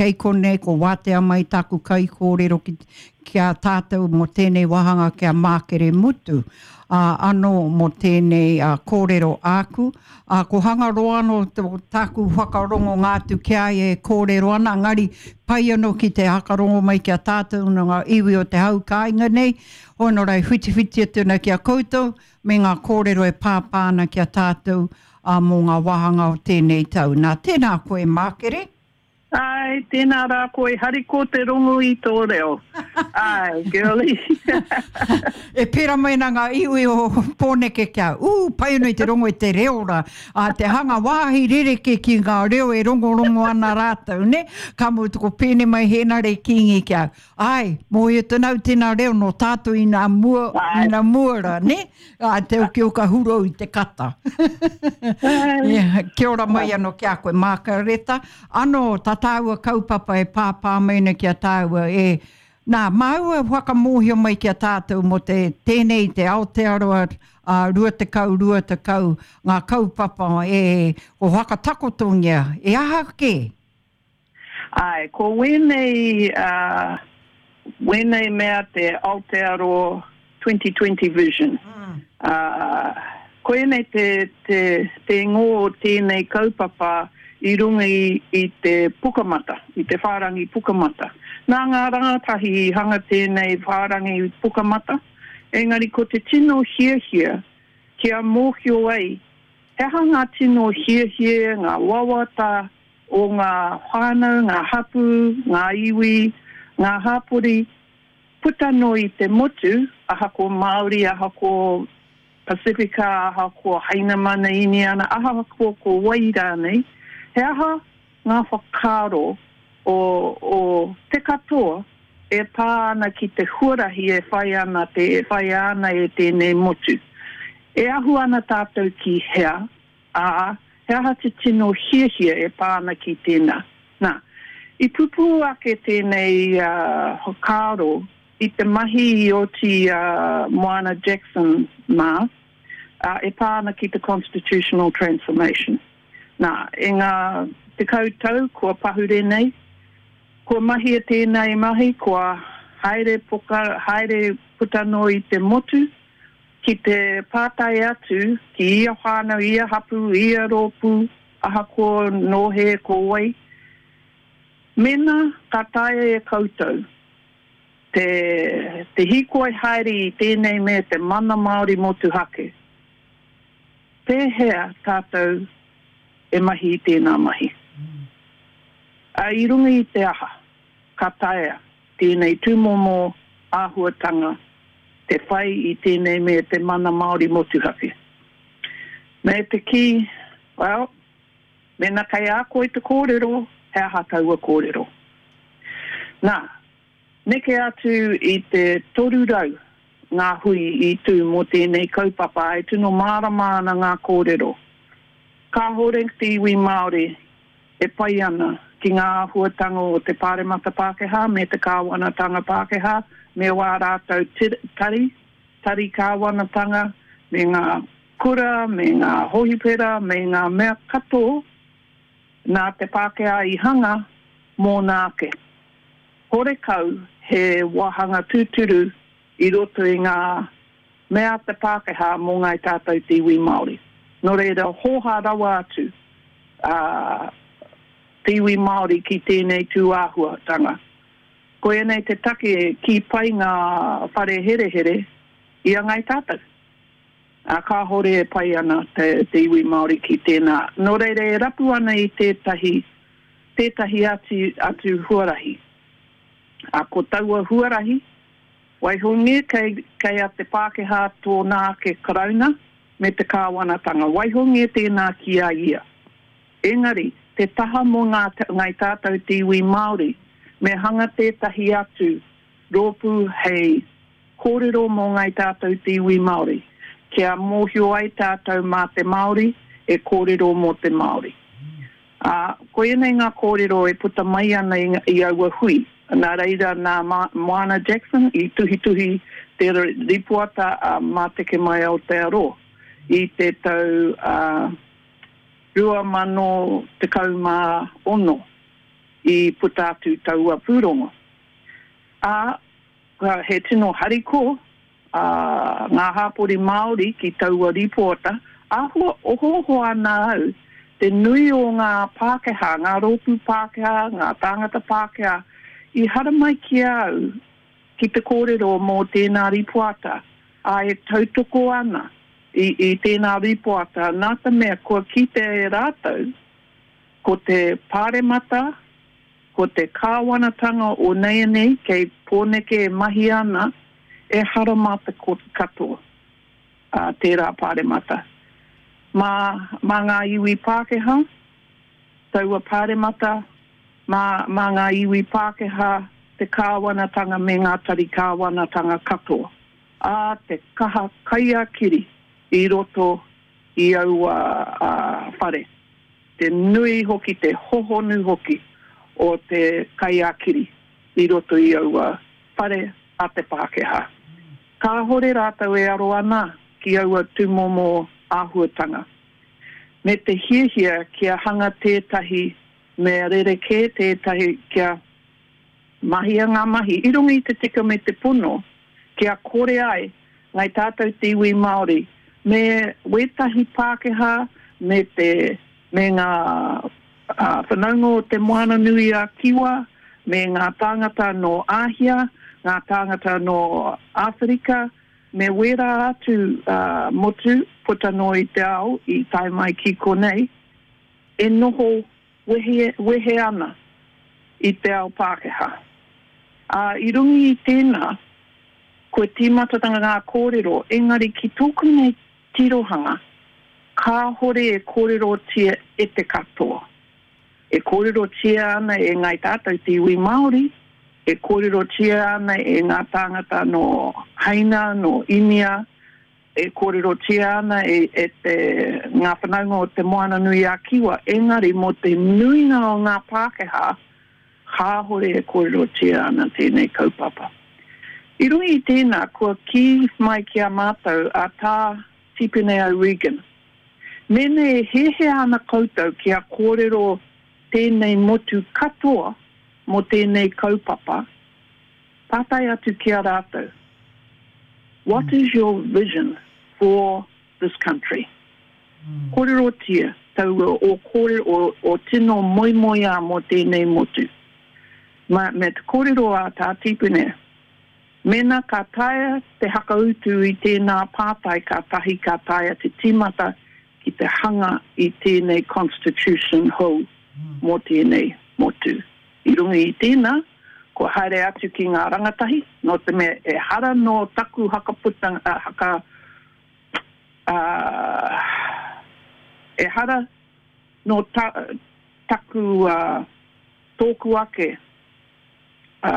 Kei konei ko wātea mai tāku kaikōrero ki, ki a tātou mō tēnei wāhanga ki a Mākere Mutu, ā, anō mō tēnei kōrero āku. Ā, ko Hangaroa anō tāku whakarongonga atu ki a ia e kōrero ana, engari pai anō ki te hakarongo mai ki a tātou nō ngā iwi o te hau kāinga nei, hoi nō reira whitiwhiti atu ana ki a koutou me ngā kōrero e pāpā ana ki a tātou, ā, mō ngā wāhanga o tēnei tau. Nā, tēnā koe Mākere. Āe, tēnā rā koe, hariko te rongo i tō reo. Āe, girlie. E pērā mai ana ngā iwi o Pōneke kia ū, pai ana i te rongo i te reo rā. Ā, te hanga wāhi rerekē ki ngā reo e rongorongo ana rātou, nē? Ka mutu ko Pēne mai Hēnare Kīngi ki a au. Āe, mōhio tonu au tēnā reo nō tātou inā mua, inā mua rā, nē? Ā, te okioka hurou i te kata. Yeah, kia ora mai anō ki a koe, Mākareta. Anō, tā tāua kaupapa e pāpā mai ana ki a tāua, e, nā, māua e whakamōhio mai ki a tātou mō te, tēnei te Aotearoa ā, 20, 20, ngā kaupapa e, ko whakatakotongia, e aha kē? Āe, ko wēnei, ā, wēnei mea te Aotearoa 2020 Vision. Ā, koinei te, te, te ingoa o tēnei kaupapa i runga i, i te pukamata, i te whārangi pukamata. Nā ngā rangatahi i hanga tēnei whārangi pukamata, engari ko te tino hiahia kia mōhio ai he aha ngā tino hiahia, ngā wawata, o ngā whānau, ngā hapū, ngā iwi, ngā hapori, puta noa i te motu, ahakoa Māori, ahakoa Pasifika, ahakoa Hainamana, Īniana, ahakoa ko wai rānei, he aha ngā whakaaro o, o te katoa e pā ana ki te huarahi e whai ana te, e whaia ana e tēnei motu. E ahu ana tātou ki hea, ā, he aha te tino hiahia e pā ana ki tēnā. Nā, i pupū ake tēnei whakaaro i te mahi i oti i a Moana Jackson mā, ā, e pā ana ki te constitutional transformation. Nā, e ngā tekau tau kua pahure nei, kua mahia tēnei mahi, kua haere poka, haere puta noa i te motu, Ki te pātai atu ki ia whānau, ia hapū, ia rōpū, ahakoa nō he, ko wai, mēnā ka taea e koutou te te hīkoi haere i tēnei mea te mana Māori motuhake, pēhea tātou e mahi i tēnā mahi? Ā, i runga i te aha ka taea tēnei tūmomo āhuatanga te whai i tēnei me te mana Māori motuhake. Me te kī, well, mēnā kei a koe te kōrero, he aha taua kōrero? Nā, neke atu i te 300 ngā hui i tū mō tēnei kaupapa e tino mārama ana ngā kōrero. Kāhore te iwi Māori e pai ana ki ngā āhuatanga o te Pāremata Pākehā me te Kāwanatanga Pākehā me wā rātou tari, tari kāwanatanga, me ngā kura, me ngā hohipera, me ngā mea katoa nā te Pākehā i hanga mōna ake. Horekau he wāhanga tūturu i roto i ngā mea te Pākehā mō ngāi tātou te iwi Māori. Nō reira, hōhā rawa atu a te iwi Māori ki tēnei tū āhuatanga. Koianei te take e kī pai ngā whare herehere i a ngāi tātou. Ā, kāhore e pai ana te, te iwi Māori ki tēnā. Nō reira, e rapu ana i tētahi, tētahi atu, atu huarahi. Ā, ko taua huarahi, Waihongia kei, kei a te Pākehā tōna ake Karauna me te Kāwanatanga. Waihongia tēnā ki a ia. Engari, te taha mō ngā, ngai tātou te iwi Māori, me hanga tētahi atu rōpū hei kōrero mō ngai tātou te iwi Māori, kia mōhio ai tātou mā te Māori e kōrero mō te Māori. Ā, koianei ngā kōrero e puta mai ana i, i aua hui. Nā reira, nā Moana Jackson i tuhituhi te ripoata a Māteke Mai Aotearoa i te tau 2016. i puta atu taua pūrongo. Ā, he tino hariko ngā hāpori Māori ki taua rīpoata, āhua ohooho ana au te nui o ngā Pākehā, ngā rōpū Pākehā, ngā tāngata Pākehā i haramai ki a au ki te kōrero mō tēnā rīpoata, ā, e tautoko ana i, i tēnā rīpoata nā te mea kua kite e rātou ko te Pāremata, ko te kāwanatanga o neianei kei Pōneke e mahi ana, ehara mā te katoa, ā, tērā Pāremata. Mā, mā ngā iwi Pākehā taua Pāremata, mā, mā ngā iwi Pākehā te kāwanatanga me ngā tari kāwanatanga katoa, ā, te kaha kai-a-kiri i roto i aua whare. Te nui hoki, te hohonu hoki o te kai-a-kiri i roto i aua whare a te Pākehā. Kāhore rātou e aro ana ki aua tūmomo āhuatanga. Me te hiahia kia hanga tētahi mea rerekē, tētahi kia mahia ngā mahi i runga i te tika me te pono, kia kore ai ngai tātou te iwi Māori me wētahi Pākehā me te me ngā whanaunga o Te Moananui-a-Kiwa me ngā tāngata nō Āhia, ngā tāngata nō Āwherika me wērā atu motu puta noa i te ao i tae mai ki konei e noho wehe, wehe ana i te ao Pākehā. Ā, i runga i tēnā, kua tīmata ngā kōrero, engari ki tōku nei tirohanga, kāhore e kōrerotia e te katoa. E kōrerotia ana e ngāi tātou te iwi Māori, e kōrerotia ana e ngā tāngata nō Haina, nō Inia, e kōrerotia ana e, e te, ngā whanaunga o Te Moananui-a-Kiwa, engari mō te nuinga o ngā Pākehā, kāhore e kōrerotia ana tēnei kaupapa. I runga i tēnā, kua kī mai ki a mātou a Tā Tipene O'Regan, Mēnā e hiahia ana koutou kia kōrero tēnei motu katoa mō tēnei kaupapa, Pātai atu ki a rātou, What is your vision for this country? Kōrerotia taua o kōrero, o, o tino moemoeā mō tēnei motu. Ma, me te kōrero a Tā Tīpene, mēnā ka taea te hakautu i tēnā pātai kātahi ka taea te tīmata ki te hanga i tēnei constitution hou mō tēnei motu. I runga i tēnā, kua haere atu ki ngā rangatahi, nō te mea ehara nō taku hakaputanga, haka, ā, ehara nō ta, taku, ā, tōku ake, ā,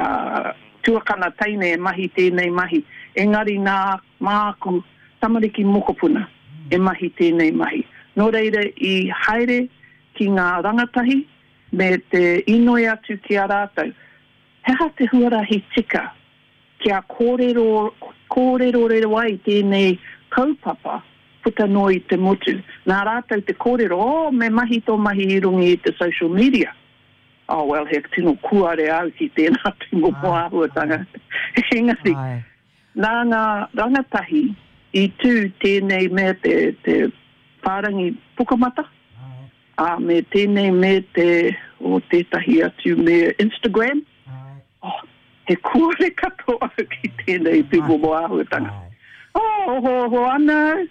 tuakana teine e mahi tēnei mahi, engari nā māku tamariki mokopuna e mahi tēnei mahi. Nō reira i haere ki ngā rangatahi, me te inoi atu ki a rātou, he aha te huarahi tika kia kōrero, kōrerorero ai tēnei kaupapa puta noa i te motu. Nā rātou te kōrero, oh, me mahi tō mahi i runga i te social media. Oh, well, he tino kuare au ki tēnā tūmomo āhuatanga. Engari, nā ngā rangatahi i tū tēnei mea te, te whārangi pukamata, Ā, me tēnei me te, o tētahi atu me Instagram. Oh, he kore katoa au ki tēnei tūmomo āhuatanga. Oh, ohooho ana au.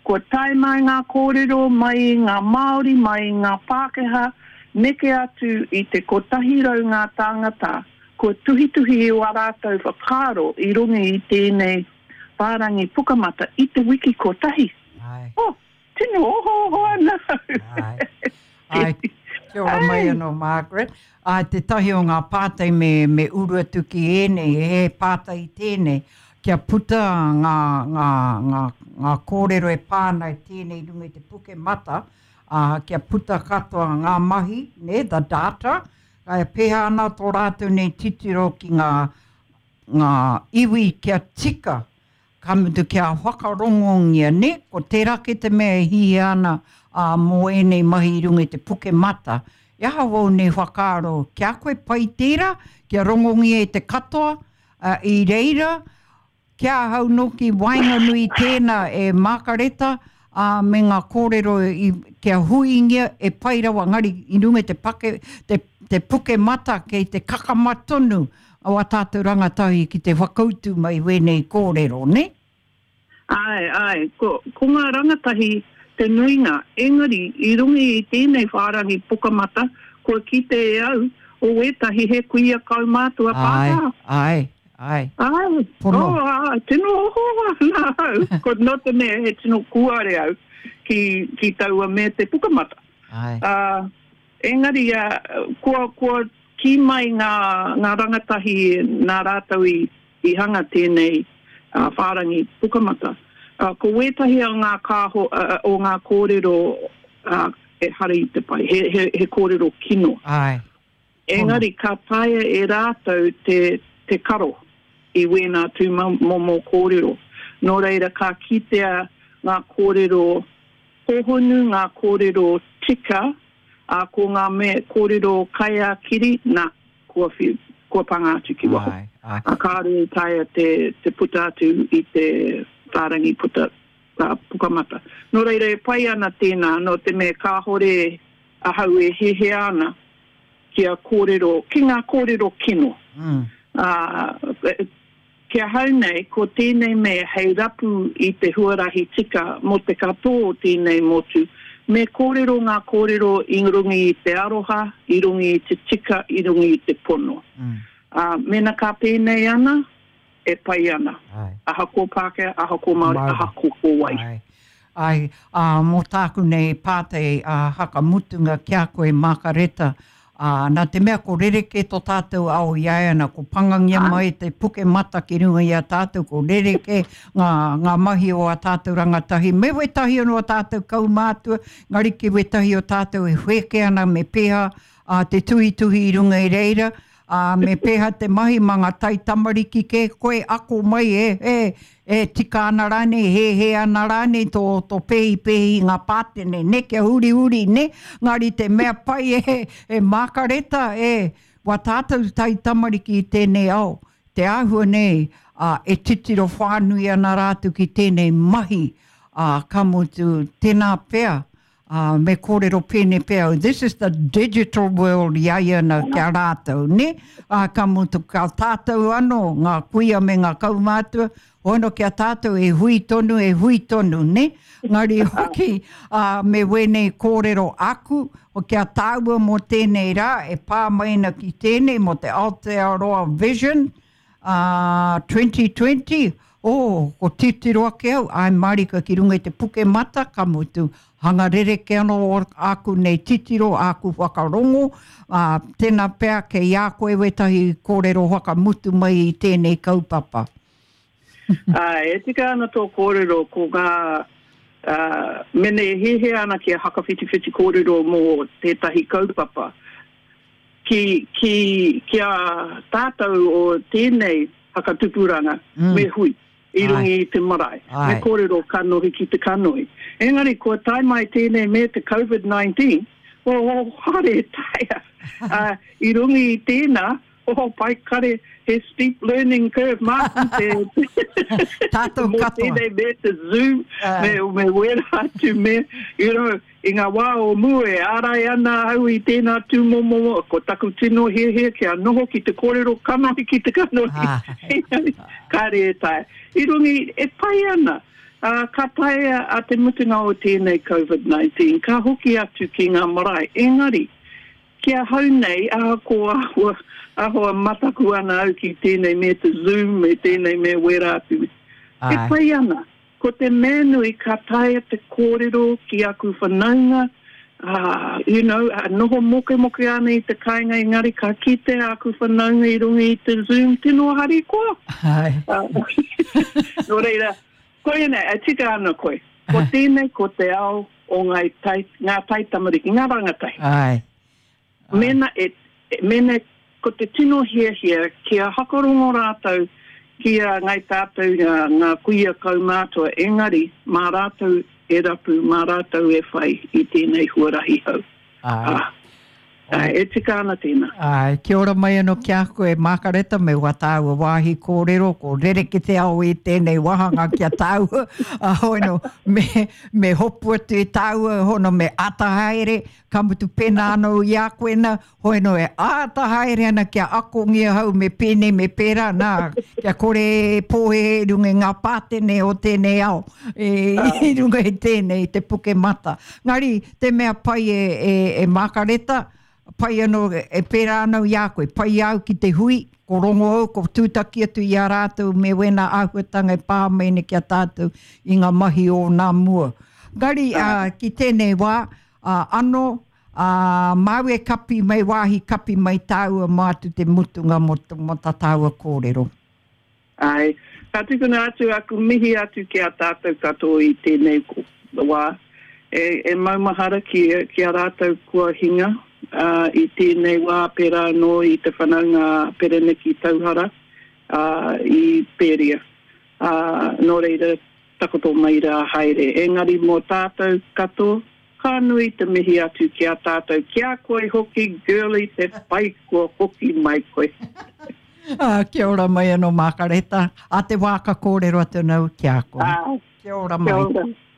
Kua tae mai ngā kōrero mai i ngā Māori, mai i ngā Pākehā, neke atu i te 100 ngā tāngata kua tuhituhi i wā rātou whakaaro i runga i tēnei whārangi pukamata i te wiki kotahi. Oh, Tino ohooho ana au. Āe. Āe, kia ora mai anō Margaret. Āe, tētahi o ngā pātai me, me uru atu ki ēnei, he pātai tēnei, kia puta ngā, ngā, ngā, ngā kōrero e pā ana i tēnei runga i te puke mata, ā, kia puta katoa ngā mahi, nē, the data, e pēhea ana tō rātou nei titiro ki ngā, ngā iwi kia tika Ka mutu kia whakarongongia, nē, ko tērā kē te mea e hihia ana, ā, mō ēnei mahi i runga i te puke mata, E aha wau nei whakaaro ki a koe pai tērā, kia rongongia e te katoa, ā, i reira, ki ahau nōki waenganui i tēnā e Mākareta, ā, me ngā kōrero i, kia huingia e pai rawa, engari i runga i te pake, te, te puke mata kei te kakama tonu o ā tātou rangatahi ki te whakautu mai wēnei kōrero, nē? Āe, āe, ko, ko ngā rangatahi te nuinga, engari i runga i tēnei whārangi Pukamata, kua kite e au, o wētahi he kuia kaumātua Pākehā. Āe, āe, āe. Āe, Pono. oh, āe, tino oho ana au, ko nō te mea he tino kūare au ki, ki taua mea te Pukamata. Āe. Ā, engari, ā, kua, kua kī mai ngā, ngā rangatahi nā rātou i, I hanga tēnei whārangi pukamata. Ko wētahi o ngā kāho, o ngā kōrero ehara i te pai, he, he, he kōrero kino. Āe. Engari ka taea e rātou te, te karo i wēnā tū momo kōrero. Nō reira ka kitea ngā kōrero hōhonu, ngā kōrero tika, ā, ko ngā mea kōrero kai ā-kiri, nā, kua whiu, kua panga atu ki waho. Āe, āe. Ā, kāore i taea te, te puta atu i te whārangi puta, ā, pukamata. Nō reira, e pai ana tēnā, nō te mea kāore ahau e hehea ana kia kōrero, ki ngā kōrero kino. Mm. Ā, Ki ahau nei, ko tēnei mea hei rapu i te huarahi tika mō te katoa o tēnei motu, me kōrero ngā kōrero i runga i te aroha, i runga i te tika, i runga i te pono. Ā, mēnā ka pēnei ana, e pai ana. Ahakoa Pākehā, ahakoa Māori, ahakoa ko wai. Āe, ā, mō tāku nei pātai ā hakamutunga ki a koe Mākareta, ā, nā te mea ko rerekē tō tātou ao i āiana, ko pangangia mai te puke mata ki runga i a tātou, ko rerekē ngā, ngā mahi o ā tātou rangatahi, me wētahi anō o tātou kaumātua, engari ki wētahi o tātou e whēke ana me pēhā, ā, te tuhituhi i runga i reira, Ā, me pēhea te mahi mā ngā taitamariki kē koe ako mai e, e, e tika ana rānei, e hēhē ana rānei tō, tō pēhipēhi i ngā pātene, nē, kia hurihuri, nē? Engari te mea pai e, e Mākareta, e, wā tātou taitamariki i tēnei ao, te āhua nei, ā, e titiro whānui ana rātou ki tēnei mahi, ā, ka mutu, tēnā pea, Ā, me kōrero pēnei pea au, this is the digital world i a ia nā ki a rātou, nē? Ā, ka mutu, ka tātou anō, ngā kuia me ngā kaumātua, hono ki a tātou e hui tonu, e hui tonu, nē? Engari hoki, ā, me wēnei kōrero aku, ki a tāua mō tēnei rā, e pā mai ana ki tēnei mō te Aotearoa Vision, Ā, 2020, oh, ko titiro ake au, āe mārika ki runga i te puke mata, ka mutu, hanga rerekē anō āku nei titiro, āku whakarongo, ā, tēnā pea kei a koe wētahi kōrero whakamutu mai i tēnei kaupapa. Āe, e tika ana tō kōrero, ko ngā, ā, mene e hiahia ana kia hakawhitiwhiti kōrero mō tētahi kaupapa, Ki, ki, ki a tātou o tēnei whakatupuranga, me hui i runga i te marae, me kōrero kanohi ki te kanohi. Engari kua tae mai tēnei me te Covid 19, oh, haere e taea. Ā, i runga i tēnā, oh, pai kare, he steep learning curve māku te, Tātou mō katoa. tēnei me te Zoom, me, me wērā atu me, you know, I ngā wā o mua e ārai ana au i tēnā tūmomo, ko taku tino hiahia kia noho ki te kōrero kanohi ki te kanohi, engari kāre e taea. I runga i, e pai ana, ā, ka taea a te mutunga o tēnei Covid 19, ka hoki atu ki ngā marae, engari, ki ahau nei, ahakoa āhua, āhua mataku ana au ki tēnei me te Zoom, me tēnei me wērā atu, e pai ana. Ko te mea nui ka taea te kōrero ki aku whanaunga, ā, you know, noho mokemoke ana i te kāinga engari ka kitea aku whanaunga i runga i te Zoom, tino harikoa. Āe. Nō reira, koia nei, e tika ana koe. Ko tēnei ko te ao o ngāi tai, ngā taitamariki, ngā rangatahi. Āe. Mēnā e, mēnā ko te tino hiahia kia whakarongo rātou ki a Ngai Tātou ngā, ngā kuia kaumātua engari mā rātou e rapu, mā rātou e whai i tēnei huarahi hou. Āe. Ā. Āe, e tika ana tēnā. Āe, kia ora mai anō ki a koe, Mākareta, me wā tāua wāhi kōrero, ko rereke te ao i tēnei wāhanga ki a tāua, ā, hono, me, me hopu atu e tāua, hono, me āta haere, ka mutu pēnā anō i a koe nā, hono e āta haere ana kia akongia hau me pēnei me pērā, nā, kia kore e pōhēhē i runga i ngā pātene o tēnei ao, e, i runga i tēnei, te puke mata. Ngari, te mea pai e, e, e Mākareta, pai anō, e pērā ana i a koe, pai au ki te hui, ko rongo au, ko tūtaki atu i a rātou me wēnā āhuatanga e pā mai nei ki a tātou i ngā mahi o nā mua. Ngari, ā, ki tēnei wā, ā, anō, ā, māu e kapi mai wāhi kapi mai tāua mā atu te mutunga mō, mō tā tāua kōrero. Āe, ka tukuna atu aku mihi atu ki a tātou katoa i tēnei wā. E, e maumahara ki, ki a rātou kua hinga, ā, i tēnei wā pērā anō i te whanaunga a Pereniki Tauhara, ā, i Pēria. Ā, nō reira, takoto mai rā haere. Engari mō tātou katoa, ka nui te mihi atu ki a tātou, ki a koe hoki Girlie te pai kua hoki mai koe. Ā, kia ora mai anō Mākareta. Ā te wā ka kōrero atu ana au ki a koe. Ā, kia ora mai. Kia ora.